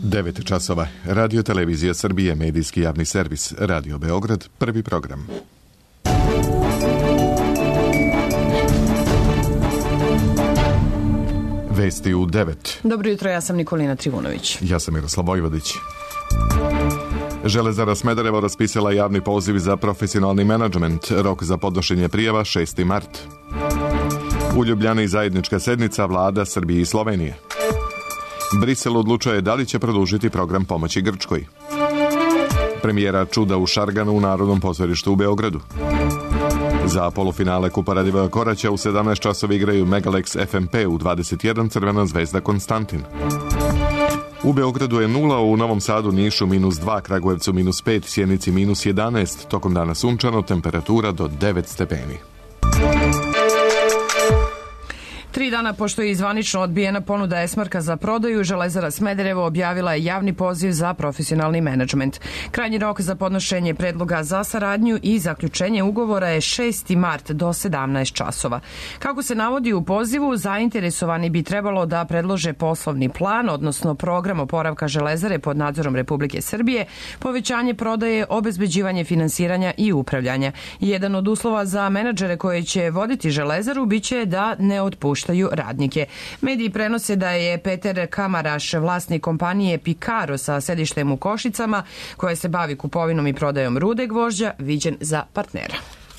9 časova. Radio Televizija Srbije, medijski javni servis. Radio Beograd, prvi program. Vesti u 9. Dobro jutro, ja sam Nikolina Trivunović. Ja sam Miroslav Vojvodić. Železara Smederevo raspisala javni poziv za profesionalni menadžment. Rok za podnošenje prijava 6. mart. U Ljubljani zajednička sednica vlada Srbije i Slovenije. Brisel odlučuje da li će produžiti program pomoći Grčkoj. Premijera čuda u Šarganu u Narodnom pozorištu u Beogradu. Za polufinale Kupa Radivoja Koraća u 17 časova igraju Megalex FMP u 21, Crvena zvezda Konstantin. U Beogradu je 0, u Novom Sadu, Nišu -2, Kragujevcu -5, Sjenici -11, tokom dana sunčano, temperatura do 9 stepeni. 3 dana pošto je zvanično odbijena ponuda Esmarka za prodaju, Železara Smederevo objavila je javni poziv za profesionalni menadžment. Krajnji rok za podnošenje predloga za saradnju i zaključenje ugovora je 6. mart do 17 časova. Kako se navodi u pozivu, zainteresovani bi trebalo da predlože poslovni plan, odnosno program oporavka Železare pod nadzorom Republike Srbije, povećanje prodaje, obezbeđivanje finansiranja i upravljanja. Jedan od uslova za menadžere koje će voditi Železaru biće da ne otpuštaju radnike. Mediji prenose da je Peter Kamaraš, vlasnik kompanije Pikaro sa sedištem u Košicama, koja se bavi kupovinom i prodajom rude gvožđa, viđen za partnera.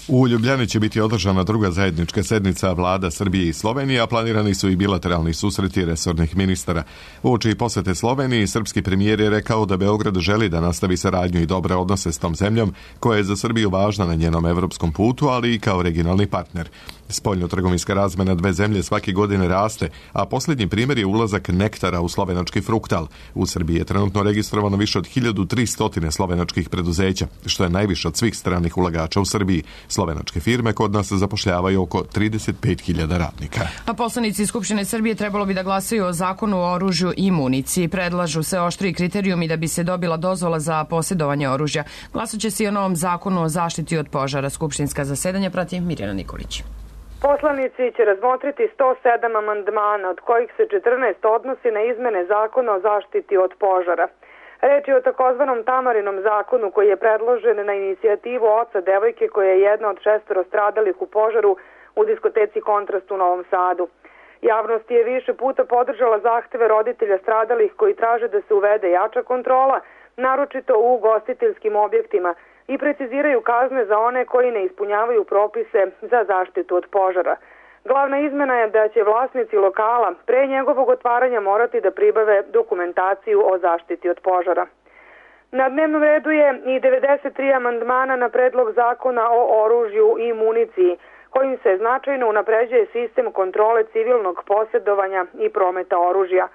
U Ljubljani će biti održana druga zajednička sednica vlada Srbije i Slovenije, a planirani su i bilateralni susreti resornih ministara. Uoči posete Sloveniji, srpski premijer je rekao da Beograd želi da nastavi saradnju i dobre odnose s tom zemljom, koja je za Srbiju važna na njenom evropskom putu, ali i kao regionalni partner. Spoljno-trgovinska razmena dve zemlje svake godine raste, a posljednji primjer je ulazak Nektara u slovenački Fruktal. U Srbiji je trenutno registrovano više od 1300 slovenačkih preduzeća, što je najviše od svih stranih ulagača u Srbiji. Slovenačke firme kod nas zapošljavaju oko 35.000 radnika. A poslanici Skupštine Srbije trebalo bi da glasaju o zakonu o oružju i municiji. Predlažu se oštriji kriterijumi da bi se dobila dozvola za posjedovanje oružja. Glasaće se i o novom zakonu o zaštiti od požara. Skupštinska zasedanja prati Mirjana Nikolić. Poslanici će razmotriti 107 amandmana, od kojih se 14 odnosi na izmene zakona o zaštiti od požara. Reč je o takozvanom Tamarinom zakonu koji je predložen na inicijativu oca devojke koja je jedna od 6 stradalih u požaru u diskoteci Kontrast u Novom Sadu. Javnost je više puta podržala zahteve roditelja stradalih koji traže da se uvede jača kontrola, naročito u ugostiteljskim objektima, i preciziraju kazne za one koji ne ispunjavaju propise za zaštitu od požara. Glavna izmena je da će vlasnici lokala pre njegovog otvaranja morati da pribave dokumentaciju o zaštiti od požara. Na dnevnom redu je i 93 amandmana na predlog zakona o oružju i municiji, kojim se značajno unapređuje sistem kontrole civilnog posjedovanja i prometa oružja.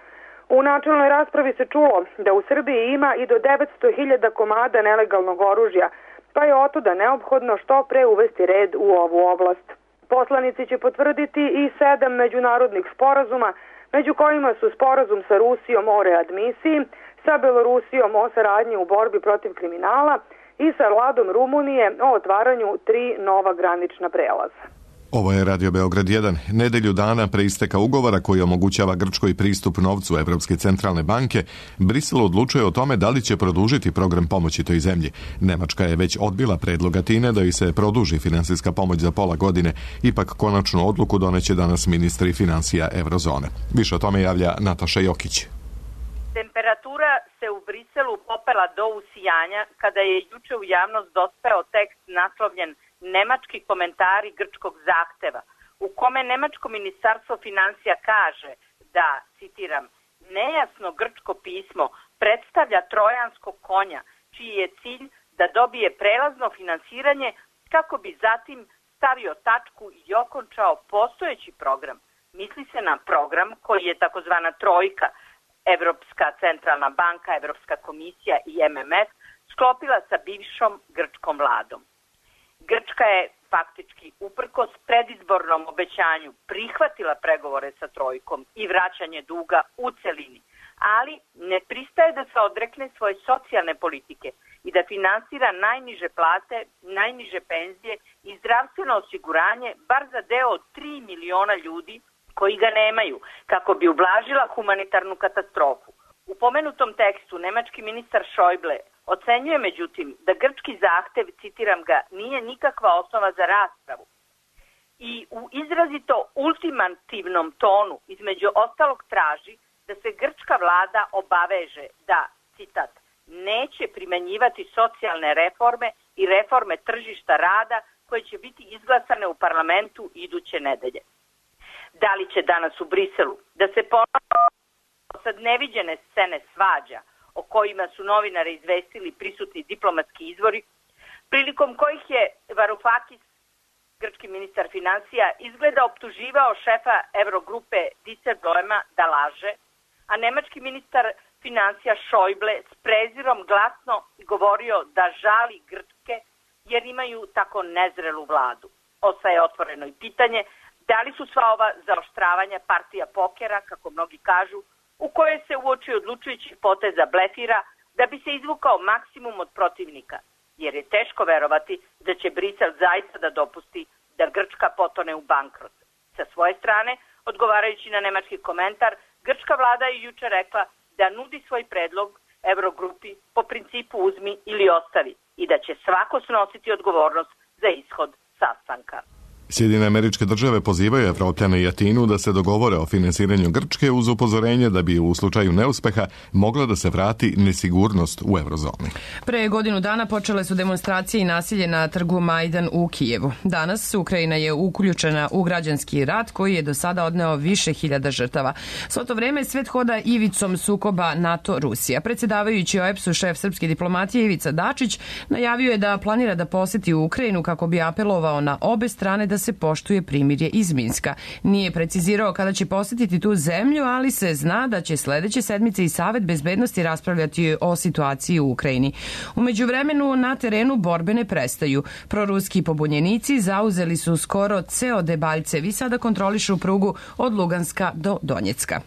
U načelnoj raspravi se čulo da u Srbiji ima i do 900.000 komada nelegalnog oružja, pa je otuda neophodno što pre uvesti red u ovu oblast. Poslanici će potvrditi i 7 međunarodnih sporazuma, među kojima su sporazum sa Rusijom o readmisiji, sa Belorusijom o saradnji u borbi protiv kriminala i sa vladom Rumunije o otvaranju 3 nova granična prelaza. Ovo je Radio Beograd 1. Nedelju dana pre isteka ugovora koji omogućava Grčkoj pristup novcu Evropske centralne banke, Brisel odlučuje o tome da li će produžiti program pomoći toj zemlji. Nemačka je već odbila predlog Atine da joj se produži finansijska pomoć za pola godine. Ipak konačnu odluku doneće danas ministri finansija Eurozone. Više o tome javlja Nataša Jokić. Temperatura se u Briselu popela do usijanja kada je juče u javnost dospeo tekst naslovljen Nemački komentari grčkog zahteva, u kome nemačko ministarstvo finansija kaže da, citiram, nejasno grčko pismo predstavlja trojanskog konja, čiji je cilj da dobije prelazno finansiranje kako bi zatim stavio tačku i okončao postojeći program. Misli se na program koji je takozvana trojka, Evropska centralna banka, Evropska komisija i MMF, sklopila sa bivšom grčkom vladom. Grčka je faktički uprkos predizbornom obećanju prihvatila pregovore sa trojkom i vraćanje duga u celini, ali ne pristaje da se odrekne svoje socijalne politike i da finansira najniže plate, najniže penzije i zdravstveno osiguranje bar za deo od 3 miliona ljudi koji ga nemaju, kako bi ublažila humanitarnu katastrofu. U pomenutom tekstu nemački ministar Schäuble ocenjuje međutim da grčki zahtev, citiram ga, nije nikakva osnova za raspravu. I u izrazito ultimativnom tonu između ostalog traži da se grčka vlada obaveže da, citat, neće primenjivati socijalne reforme i reforme tržišta rada koje će biti izglasane u parlamentu iduće nedelje. Da li će danas u Briselu da se ponovo sad neviđene scene svađa o kojima su novinare izvestili prisutni diplomatski izvori, prilikom kojih je Varoufakis, grčki ministar financija, izgleda optuživao šefa Eurogrupe Dijsselbloema da laže, a nemački ministar financija Schäuble s prezirom glasno govorio da žali Grčke jer imaju tako nezrelu vladu. Ostaje otvoreno i pitanje da li su sva ova zaoštravanja partija pokera, kako mnogi kažu, u kojoj se uoči odlučujućih poteza blefira da bi se izvukao maksimum od protivnika, jer je teško verovati da će Brisel zaista da dopusti da Grčka potone u bankrot. Sa svoje strane, odgovarajući na nemački komentar, grčka vlada je juče rekla da nudi svoj predlog Eurogrupi po principu uzmi ili ostavi i da će svako snositi odgovornost za ishod sastanka. Sjedinjene Američke Države pozivaju Evropljane i Atinu da se dogovore o finansiranju Grčke uz upozorenje da bi u slučaju neuspeha mogla da se vrati nesigurnost u eurozoni. Pre godinu dana počele su demonstracije i nasilje na trgu Majdan u Kijevu. Danas Ukrajina je uključena u građanski rat koji je do sada odneo više hiljada žrtava. Svo to vreme svet hoda ivicom sukoba NATO-Rusija. Predsjedavajući OEBS-u šef srpske diplomatije Ivica Dačić najavio je da planira da poseti Ukrajinu kako bi apelovao na obe strane da se poštuje primirje iz Minska. Nije precizirao kada će posjetiti tu zemlju, ali se zna da će sledeće sedmice i Savet bezbednosti raspravljati o situaciji u Ukrajini. U međuvremenu na terenu borbe ne prestaju. Proruski pobunjenici zauzeli su skoro ceo Debaljev i sada kontrolišu prugu od Luganska do Donjecka.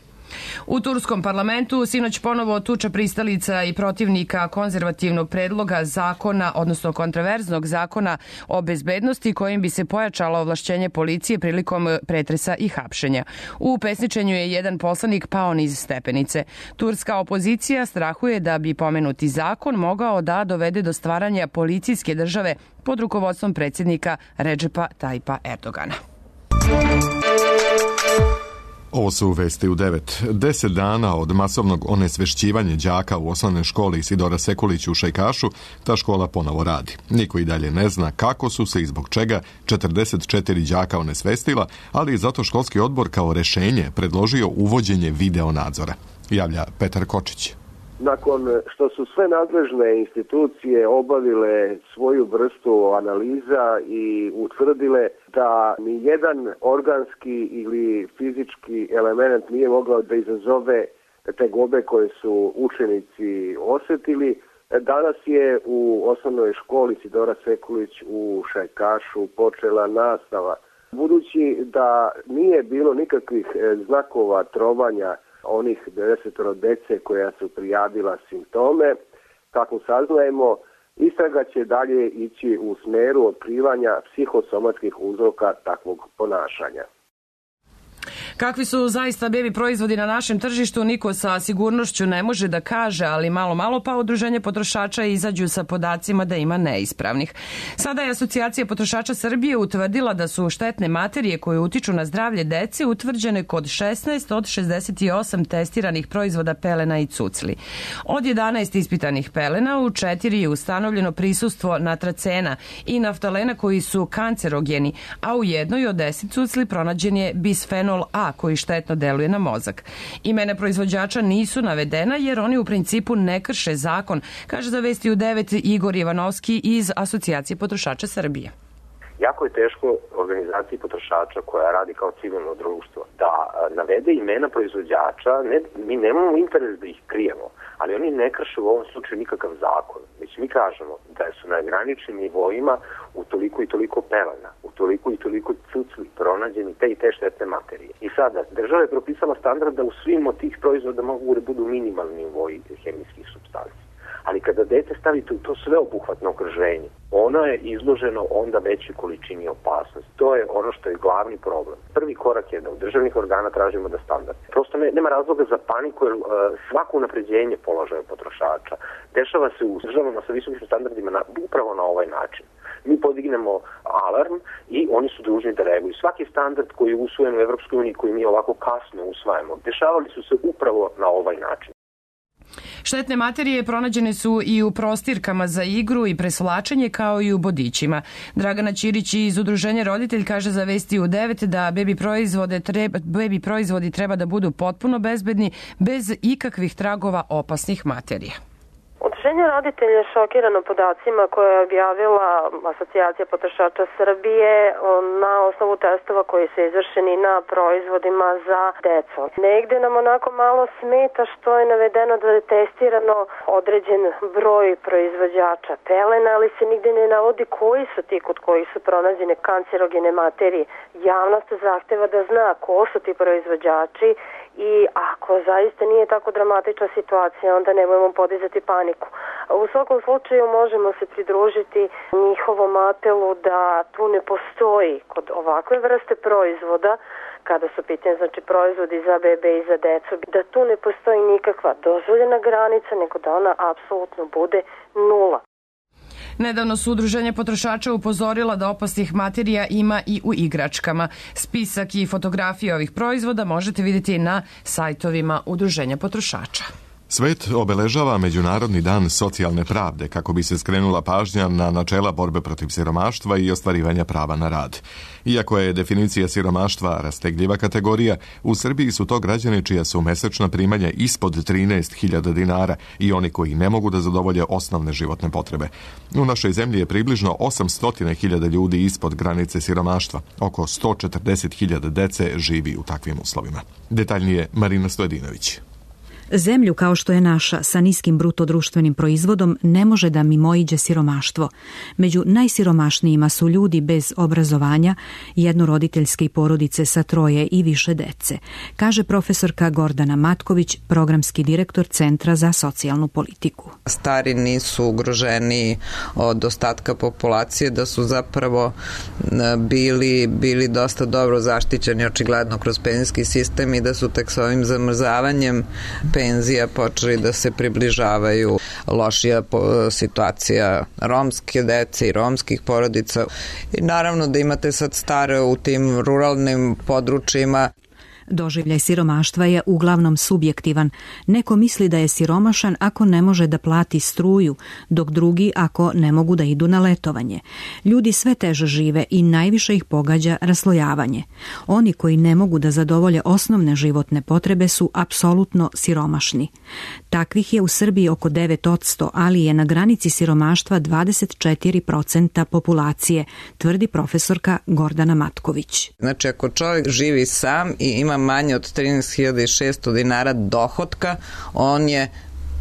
U turskom parlamentu sinoć ponovo tuča pristalica i protivnika konzervativnog predloga zakona, odnosno kontraverznog zakona o bezbednosti kojim bi se pojačalo ovlašćenje policije prilikom pretresa i hapšenja. U pesničenju je jedan poslanik pao niz stepenice. Turska opozicija strahuje da bi pomenuti zakon mogao da dovede do stvaranja policijske države pod rukovodstvom predsjednika Redžepa Tajpa Erdogana. Ovo su vesti u 9. 10 dana od masovnog onesvešćivanja đaka u osnovnoj školi Isidora Sekulić u Šajkašu, ta škola ponovo radi. Niko i dalje ne zna kako su se i zbog čega 44 đaka onesvestila, ali i zato školski odbor kao rešenje predložio uvođenje video nadzora. Javlja Petar Kočić. Nakon što su sve nadležne institucije obavile svoju vrstu analiza i utvrdile da ni jedan organski ili fizički element nije mogao da izazove tegobe koje su učenici osetili, danas je u osnovnoj školi Isidora Sekulić u Šajkašu počela nastava. Budući da nije bilo nikakvih znakova trovanja onih 90 dece koja su prijavila simptome, kako saznajemo, istraga će dalje ići u smeru otkrivanja psihosomatskih uzroka takvog ponašanja. Kakvi su zaista bebi proizvodi na našem tržištu, niko sa sigurnošću ne može da kaže, ali malo pa udruženje potrošača izađu sa podacima da ima neispravnih. Sada je Asocijacija potrošača Srbije utvrdila da su štetne materije koje utiču na zdravlje dece utvrđene kod 16 od 68 testiranih proizvoda pelena i cucli. Od 11 ispitanih pelena u 4 je ustanovljeno prisustvo natracena i naftalena koji su kancerogeni, a u jednoj od 10 cucli pronađen je bisfenol A koji štetno deluje na mozak. Imena proizvođača nisu navedena jer oni u principu ne krše zakon, kaže za Vesti u 9 Igor Ivanovski iz Asocijacije potrošača Srbije. Jako je teško organizaciji potrošača koja radi kao civilno društvo da navede imena proizvođača. Mi nemamo interes da ih krijemo, ali oni ne krše u ovom slučaju nikakav zakon. Već mi kažemo da su na graničnim nivoima u toliko i toliko pelena, u toliko i toliko cucli pronađeni te i te štetne materije. I sada, država je propisala standard da u svim od tih proizvoda mogu da budu minimalni nivoji hemijskih supstanci. ali kada dete stavite u to sveobuhvatno okruženje, ono je izloženo onda većoj količini opasnosti. To je ono što je glavni problem. Prvi korak je da u državnih organa tražimo da standard. Prosto nema razloga za paniku, jer svako unapređenje položaja potrošača dešava se u državama sa visokim standardima upravo na ovaj način. Mi podignemo alarm i oni su dužni da reaguju. Svaki standard koji je usvojen u Evropskoj uniji, koji mi ovako kasno usvajamo, dešavali su se upravo na ovaj način. Štetne materije pronađene su i u prostirkama za igru i presvlačenje, kao i u bodićima. Dragana Ćirić iz Udruženja Roditelj kaže za Vesti u 9 da bebi proizvodi treba da budu potpuno bezbedni, bez ikakvih tragova opasnih materija. Udruženje Roditelj je šokirano podacima koje je objavila Asocijacija potrošača Srbije na osnovu testova koji su izvršeni na proizvodima za decu. Negde nam onako malo smeta što je navedeno da je testirano određen broj proizvođača pelena, ali se nigde ne navodi koji su ti kod kojih su pronađene kancerogene materije. Javnost zahteva da zna ko su ti proizvođači i ako zaista nije tako dramatična situacija, onda nemojmo podizati paniku. U svakom slučaju možemo se pridružiti njihovom apelu da tu ne postoji kod ovakve vrste proizvoda, kada su pitanje znači proizvodi za bebe i za decu, da tu ne postoji nikakva dozvoljena granica, nego da ona apsolutno bude nula. Nedavno su Udruženje potrošača upozorila da opasnih materija ima i u igračkama. Spisak i fotografije ovih proizvoda možete vidjeti na sajtovima Udruženja potrošača. Svet obeležava Međunarodni dan socijalne pravde kako bi se skrenula pažnja na načela borbe protiv siromaštva i ostvarivanja prava na rad. Iako je definicija siromaštva rastegljiva kategorija, u Srbiji su to građani čija su mesečna primanja ispod 13.000 dinara i oni koji ne mogu da zadovolje osnovne životne potrebe. U našoj zemlji je približno 800.000 ljudi ispod granice siromaštva. Oko 140.000 dece živi u takvim uslovima. Detaljnije Marina Stojedinović. Zemlju kao što je naša, sa niskim bruto društvenim proizvodom, ne može da mimoiđe siromaštvo. Među najsiromašnijima su ljudi bez obrazovanja, jednoroditeljske porodice sa 3 i više dece, kaže profesorka Gordana Matković, programski direktor Centra za socijalnu politiku. Stari nisu ugroženi od ostatka populacije, da su zapravo bili dosta dobro zaštićeni očigledno kroz penzijski sistem i da su tek s ovim zamrzavanjem penzija počeli da se približavaju lošija situacija romske dece i romskih porodica. I naravno da imate sad stare u tim ruralnim područjima. Doživljaj siromaštva je uglavnom subjektivan. Neko misli da je siromašan ako ne može da plati struju, dok drugi ako ne mogu da idu na letovanje. Ljudi sve teže žive i najviše ih pogađa raslojavanje. Oni koji ne mogu da zadovolje osnovne životne potrebe su apsolutno siromašni. Takvih je u Srbiji oko 9%, ali je na granici siromaštva 24% populacije, tvrdi profesorka Gordana Matković. Znači, ako čovjek živi sam i ima manje od 13.600 dinara dohotka, on je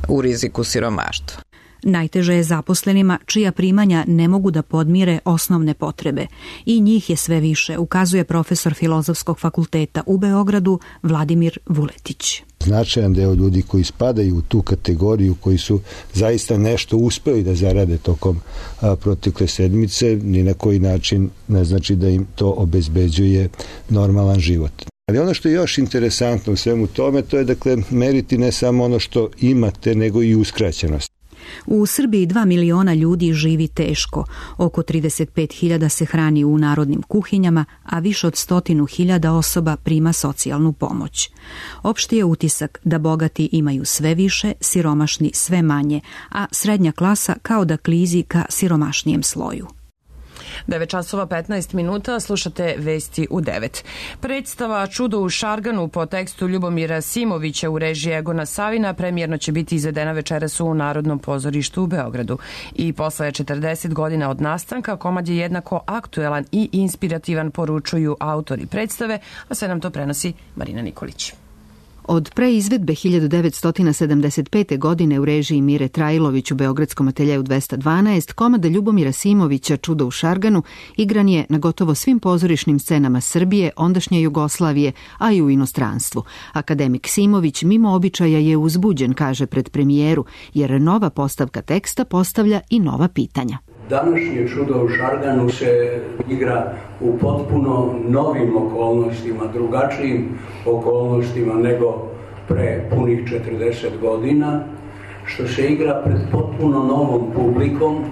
u riziku siromaštva. Najteže je zaposlenima čija primanja ne mogu da podmire osnovne potrebe. I njih je sve više, ukazuje profesor Filozofskog fakulteta u Beogradu Vladimir Vuletić. Značajan deo ljudi koji spadaju u tu kategoriju, koji su zaista nešto uspeli da zarade tokom protekle sedmice, ni na koji način ne znači da im to obezbeđuje normalan život. Ali ono što je još interesantno u svemu tome, to je dakle meriti ne samo ono što imate, nego i uskraćenost. U Srbiji 2 miliona ljudi živi teško, oko 35.000 se hrani u narodnim kuhinjama, a više od 100.000 osoba prima socijalnu pomoć. Opšti je utisak da bogati imaju sve više, siromašni sve manje, a srednja klasa kao da klizi ka siromašnijem sloju. 9:15, slušate Vesti u 9. Predstava Čudo u Šarganu po tekstu Ljubomira Simovića u režiji Egona Savina premijerno će biti izvedena večeras u Narodnom pozorištu u Beogradu. I posle 40 godina od nastanka, komad je jednako aktuelan i inspirativan, poručuju autori predstave, a sve nam to prenosi Marina Nikolić. Od preizvedbe 1975. godine u režiji Mire Trajlović u Beogradskom ateljeu 212, komad Ljubomira Simovića Čudo u Šarganu igran je na gotovo svim pozorišnim scenama Srbije, ondašnje Jugoslavije, a i u inostranstvu. Akademik Simović mimo običaja je uzbuđen, kaže pred premijeru, jer nova postavka teksta postavlja i nova pitanja. Današnje Čudo u Šarganu se igra u potpuno novim okolnostima, drugačijim okolnostima nego pre punih 40 godina, što se igra pred potpuno novom publikom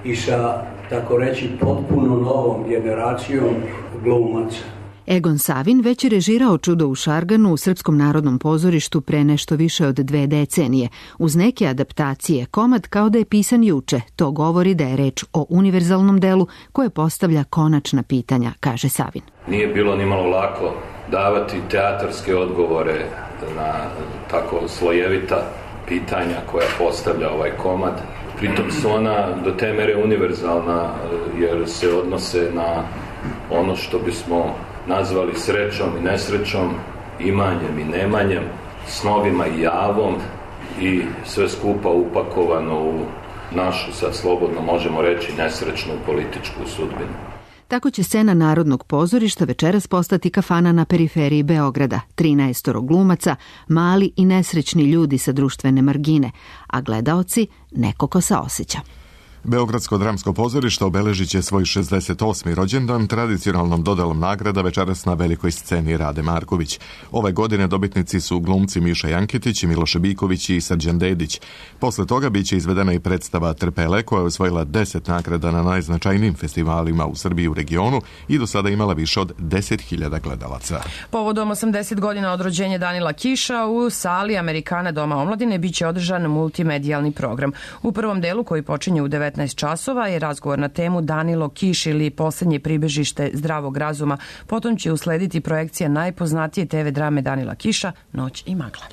i sa, tako reći, potpuno novom generacijom glumaca. Egon Savin već je režirao Čudo u Šarganu u Srpskom narodnom pozorištu pre nešto više od 2 decenije. Uz neke adaptacije, komad kao da je pisan juče. To govori da je reč o univerzalnom delu koje postavlja konačna pitanja, kaže Savin. Nije bilo ni malo lako davati teatarske odgovore na tako slojevita pitanja koja postavlja ovaj komad. Pritom su ona do te mere univerzalna jer se odnose na ono što bismo nazvali srećom i nesrećom, imanjem i nemanjem, snovima i javom i sve skupa upakovano u našu, sad slobodno možemo reći, nesrećnu političku sudbinu. Tako će scena Narodnog pozorišta večeras postati kafana na periferiji Beograda. 13 glumaca, mali i nesrećni ljudi sa društvene margine, a gledaoci neko ko saoseća. Beogradsko dramsko pozorište obeležit će svoj 68. rođendan tradicionalnom dodelom nagrada večeras na velikoj sceni Rade Marković. Ove godine dobitnici su glumci Miša Janketić, Miloše Biković i Srđan Dedić. Posle toga biće izvedena i predstava Trpele koja je osvojila 10 nagrada na najznačajnijim festivalima u Srbiji i u regionu i do sada imala više od 10.000 gledalaca. Povodom 80 godina od rođenja Danila Kiša u sali Amerikana Doma omladine biće održan multimedijalni program. U prvom delu koji počinje u 19 časova je razgovor na temu Danilo Kiš ili poslednje pribežište zdravog razuma. Potom će uslediti projekcija najpoznatije TV drame Danila Kiša Noć i magla.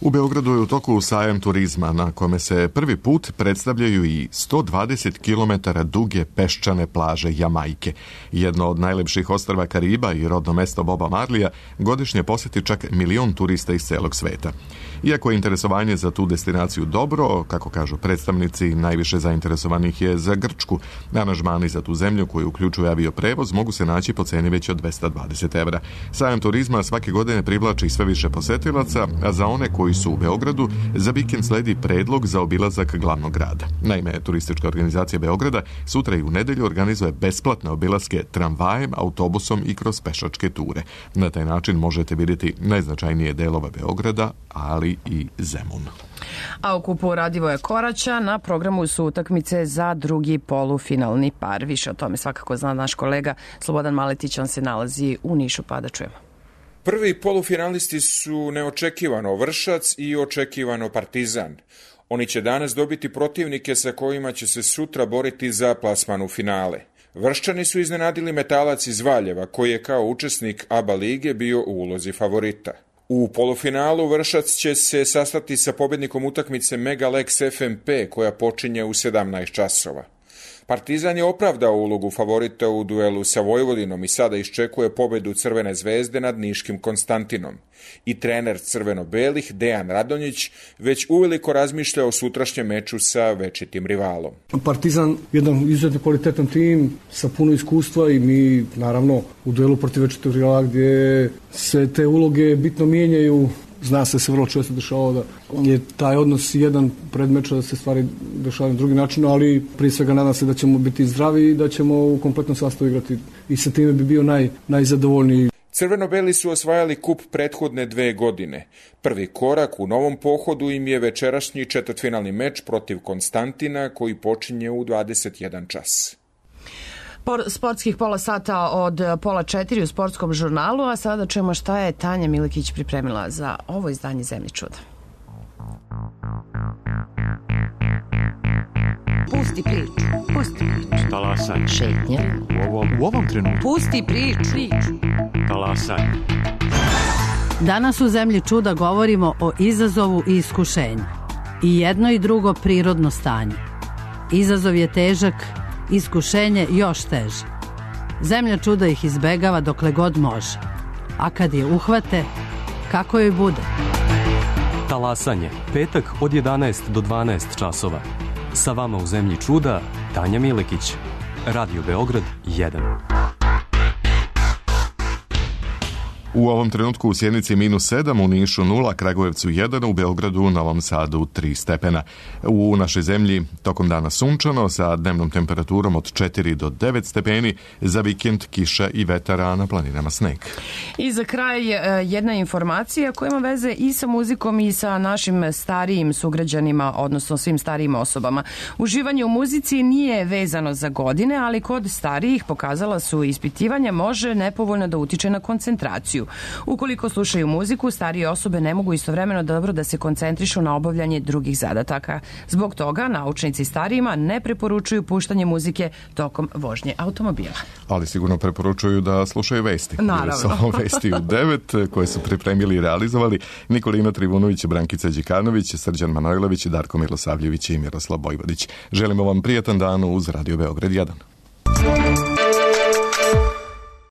U Beogradu je u toku sajam turizma na kome se prvi put predstavljaju i 120 km duge peščane plaže Jamajke. Jedno od najlepših ostrva Kariba i rodno mesto Boba Marlija godišnje poseti čak 1 milion turista iz celog sveta. Iako je interesovanje za tu destinaciju dobro, kako kažu predstavnici, najviše zainteresovanih je za Grčku. Aranžmani za tu zemlju koju uključuje avioprevoz mogu se naći po ceni već od 220 evra. Sajam turizma svake godine privlači sve više posetilaca, a za one koji su u Beogradu, za vikend sledi predlog za obilazak glavnog grada. Naime, turistička organizacija Beograda sutra i u nedelju organizuje besplatne obilaske tramvajem, autobusom i kroz pešačke ture. Na taj način možete vidjeti najznačajnije delove Beograda, ali i Zemun. A u kupu Radivoja Koraća na programu su utakmice za drugi polufinalni par. Više o tome svakako zna naš kolega Slobodan Maletić, on se nalazi u Nišu, pa da čujemo. Prvi polufinalisti su neočekivano Vršac i očekivano Partizan. Oni će danas dobiti protivnike sa kojima će se sutra boriti za plasman u finale. Vrščani su iznenadili Metalac iz Valjeva, koji je kao učesnik ABA lige bio u ulozi favorita. U polufinalu Vršac će se sastati sa pobednikom utakmice Megalex FMP koja počinje u 17 časova. Partizan je opravdao ulogu favorita u duelu sa Vojvodinom i sada iščekuje pobedu Crvene zvezde nad niškim Konstantinom. I trener crveno-belih Dejan Radonjić već uveliko razmišlja o sutrašnjem meču sa večitim rivalom. Partizan jedan izuzetno kvalitetan tim sa puno iskustva i mi naravno u duelu protiv večitog rivala gdje se te uloge bitno mijenjaju. Zna se vrlo često dešava da je taj odnos jedan predmeča da se stvari dešavaju na drugi način, ali prije svega nadam se da ćemo biti zdravi i da ćemo u kompletnom sastavu igrati i sa time bi bio najzadovoljniji. Crveno-beli su osvajali kup prethodne 2 godine. Prvi korak u novom pohodu im je večerašnji četvrtfinalni meč protiv Konstantina koji počinje u 21 čas. Sportskih pola sata od 3:30 u sportskom žurnalu, a sada čujemo šta je Tanja Milikić pripremila za ovo izdanje Zemlje čuda. Pusti priču, pusti priču. Talasaj. Šetnja. U ovom trenutku. Pusti priču. Talasaj. Danas u Zemlji čuda govorimo o izazovu i iskušenju. I jedno i drugo prirodno stanje. Izazov je težak, iskušenje još teže. Zemlja čuda ih izbegava dokle god može. A kad je uhvate, kako joj bude. Talasanje, petak od 11 do 12 časova. Sa vama u zemlji čuda, Tanja Milekić. Radio Beograd 1. U ovom trenutku u Sjenici -7, u Nišu 0, Kragujevcu 1, u Beogradu, Novom Sadu 3 stepena. U našoj zemlji tokom dana sunčano sa dnevnom temperaturom od 4 do 9 stepeni, za vikend kiša i vetara, na planinama sneg. I za kraj jedna informacija koja ima veze i sa muzikom i sa našim starijim sugrađanima, odnosno svim starijim osobama. Uživanje u muzici nije vezano za godine, ali kod starijih, pokazala su ispitivanja, može nepovoljno da utiče na koncentraciju. Ukoliko slušaju muziku, starije osobe ne mogu istovremeno dobro da se koncentrišu na obavljanje drugih zadataka. Zbog toga naučnici starijima ne preporučuju puštanje muzike tokom vožnje automobila. Ali sigurno preporučuju da slušaju vesti. Naravno. Vesti u 9 koje su pripremili i realizovali Nikolina Trivunović, Brankica Đikanović, Srđan Manojlović, Darko Milosavljević i Miroslav Bojvodić. Želimo vam prijatan dan uz Radio Beograd 1.